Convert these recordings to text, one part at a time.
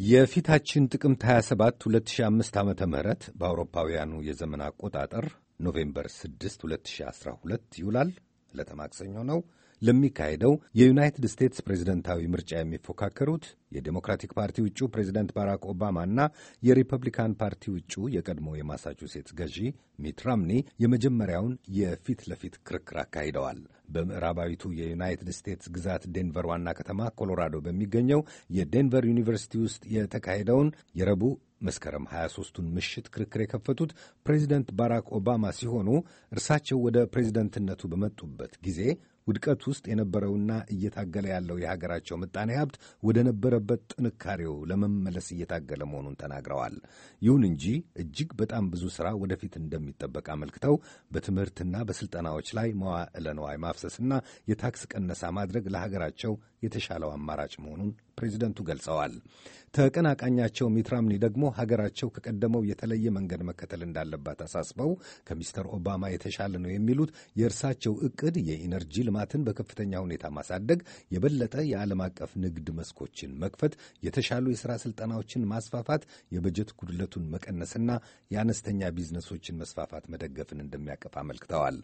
የፊታችን ጥቅምት 27 2005 ዓመተ ምህረት በአውሮፓውያኑ የዘመን አቆጣጠር ኖቬምበር 6 2012 ይውላል። ለተማክሰኞ ነው። ለሚካሄደው የዩናይትድ ስቴትስ ፕሬዝደንታዊ ምርጫ የሚፎካከሩት የዴሞክራቲክ ፓርቲ ውጩ ፕሬዝደንት ባራክ ኦባማና የሪፐብሊካን ፓርቲ ውጩ የቀድሞ የማሳቹሴትስ ገዢ ሚት ራምኒ የመጀመሪያውን የፊት ለፊት ክርክር አካሂደዋል። በምዕራባዊቱ የዩናይትድ ስቴትስ ግዛት ዴንቨር ዋና ከተማ ኮሎራዶ በሚገኘው የዴንቨር ዩኒቨርሲቲ ውስጥ የተካሄደውን የረቡዕ መስከረም 23ቱን ምሽት ክርክር የከፈቱት ፕሬዚደንት ባራክ ኦባማ ሲሆኑ እርሳቸው ወደ ፕሬዚደንትነቱ በመጡበት ጊዜ ውድቀት ውስጥ የነበረውና እየታገለ ያለው የሀገራቸው ምጣኔ ሀብት ወደ ነበረበት ጥንካሬው ለመመለስ እየታገለ መሆኑን ተናግረዋል። ይሁን እንጂ እጅግ በጣም ብዙ ሥራ ወደፊት እንደሚጠበቅ አመልክተው በትምህርትና በሥልጠናዎች ላይ መዋዕለ ንዋይ ማፍሰስና የታክስ ቀነሳ ማድረግ ለሀገራቸው የተሻለው አማራጭ መሆኑን ፕሬዚደንቱ ገልጸዋል። ተቀናቃኛቸው ሚት ራምኒ ደግሞ ሀገራቸው ከቀደመው የተለየ መንገድ መከተል እንዳለባት አሳስበው ከሚስተር ኦባማ የተሻለ ነው የሚሉት የእርሳቸው ዕቅድ የኢነርጂ ልማትን በከፍተኛ ሁኔታ ማሳደግ፣ የበለጠ የዓለም አቀፍ ንግድ መስኮችን መክፈት፣ የተሻሉ የሥራ ሥልጠናዎችን ማስፋፋት፣ የበጀት ጉድለቱን መቀነስና የአነስተኛ ቢዝነሶችን መስፋፋት መደገፍን እንደሚያቀፍ አመልክተዋል።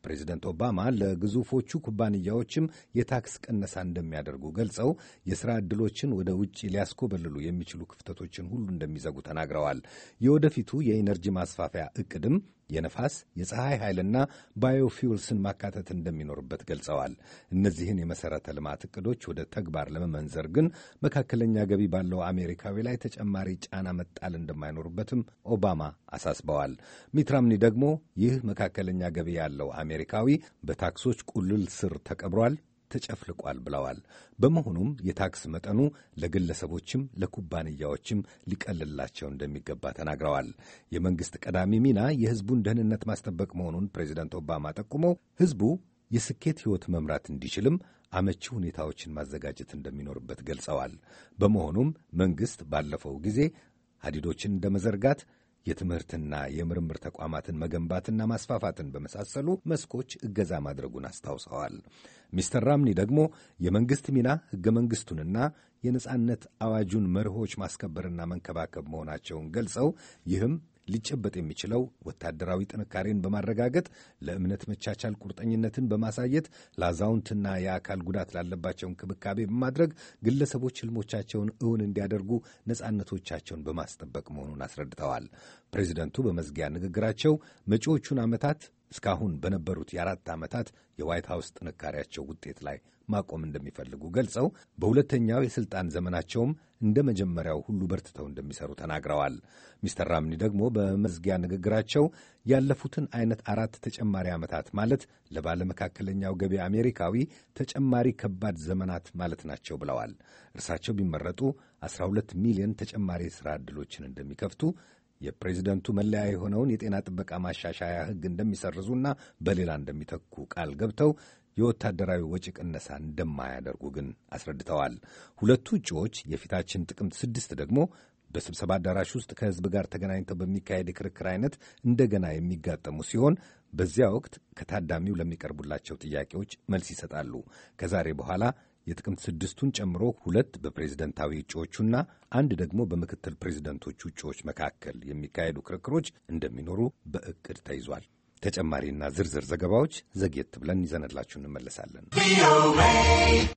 ፕሬዚደንት ኦባማ ለግዙፎቹ ኩባንያዎችም የታክስ ቀነሳ እንደሚያደርጉ ገልጸው የሥራ ዕድሎችን ወደ ውጭ ሊያስኮበልሉ የሚችሉ ክፍተቶችን ሁሉ እንደሚዘጉ ተናግረዋል። የወደፊቱ የኢነርጂ ማስፋፊያ ዕቅድም የነፋስ፣ የፀሐይ ኃይልና ባዮፊውልስን ማካተት እንደሚኖርበት ገልጸዋል። እነዚህን የመሠረተ ልማት ዕቅዶች ወደ ተግባር ለመመንዘር ግን መካከለኛ ገቢ ባለው አሜሪካዊ ላይ ተጨማሪ ጫና መጣል እንደማይኖርበትም ኦባማ አሳስበዋል። ሚት ራምኒ ደግሞ ይህ መካከለኛ ገቢ ያለው አሜሪካዊ በታክሶች ቁልል ስር ተቀብሯል፣ ተጨፍልቋል ብለዋል። በመሆኑም የታክስ መጠኑ ለግለሰቦችም ለኩባንያዎችም ሊቀልላቸው እንደሚገባ ተናግረዋል። የመንግሥት ቀዳሚ ሚና የሕዝቡን ደህንነት ማስጠበቅ መሆኑን ፕሬዚደንት ኦባማ ጠቁመው ሕዝቡ የስኬት ሕይወት መምራት እንዲችልም አመቺ ሁኔታዎችን ማዘጋጀት እንደሚኖርበት ገልጸዋል። በመሆኑም መንግሥት ባለፈው ጊዜ ሀዲዶችን እንደ መዘርጋት የትምህርትና የምርምር ተቋማትን መገንባትና ማስፋፋትን በመሳሰሉ መስኮች እገዛ ማድረጉን አስታውሰዋል። ሚስተር ራምኒ ደግሞ የመንግሥት ሚና ሕገ መንግሥቱንና የነጻነት አዋጁን መርሆች ማስከበርና መንከባከብ መሆናቸውን ገልጸው ይህም ሊጨበጥ የሚችለው ወታደራዊ ጥንካሬን በማረጋገጥ ለእምነት መቻቻል ቁርጠኝነትን በማሳየት ለአዛውንትና የአካል ጉዳት ላለባቸው እንክብካቤ በማድረግ ግለሰቦች ሕልሞቻቸውን እውን እንዲያደርጉ ነጻነቶቻቸውን በማስጠበቅ መሆኑን አስረድተዋል። ፕሬዚደንቱ በመዝጊያ ንግግራቸው መጪዎቹን ዓመታት እስካሁን በነበሩት የ4 ዓመታት የዋይት ሃውስ ጥንካሬያቸው ውጤት ላይ ማቆም እንደሚፈልጉ ገልጸው በሁለተኛው የሥልጣን ዘመናቸውም እንደ መጀመሪያው ሁሉ በርትተው እንደሚሰሩ ተናግረዋል። ሚስተር ራምኒ ደግሞ በመዝጊያ ንግግራቸው ያለፉትን አይነት 4 ተጨማሪ ዓመታት ማለት ለባለመካከለኛው ገቢ አሜሪካዊ ተጨማሪ ከባድ ዘመናት ማለት ናቸው ብለዋል። እርሳቸው ቢመረጡ 12 ሚሊዮን ተጨማሪ የሥራ ዕድሎችን እንደሚከፍቱ፣ የፕሬዚደንቱ መለያ የሆነውን የጤና ጥበቃ ማሻሻያ ሕግ እንደሚሰርዙና በሌላ እንደሚተኩ ቃል ገብተው የወታደራዊ ወጪ ቅነሳ እንደማያደርጉ ግን አስረድተዋል። ሁለቱ እጩዎች የፊታችን ጥቅምት 6 ደግሞ በስብሰባ አዳራሽ ውስጥ ከሕዝብ ጋር ተገናኝተው በሚካሄድ የክርክር አይነት እንደገና የሚጋጠሙ ሲሆን በዚያ ወቅት ከታዳሚው ለሚቀርቡላቸው ጥያቄዎች መልስ ይሰጣሉ። ከዛሬ በኋላ የጥቅምት 6ቱን ጨምሮ 2 በፕሬዝደንታዊ እጩዎቹና 1 ደግሞ በምክትል ፕሬዝደንቶቹ እጩዎች መካከል የሚካሄዱ ክርክሮች እንደሚኖሩ በዕቅድ ተይዟል። ተጨማሪና ዝርዝር ዘገባዎች ዘግየት ብለን ይዘንላችሁ እንመለሳለን።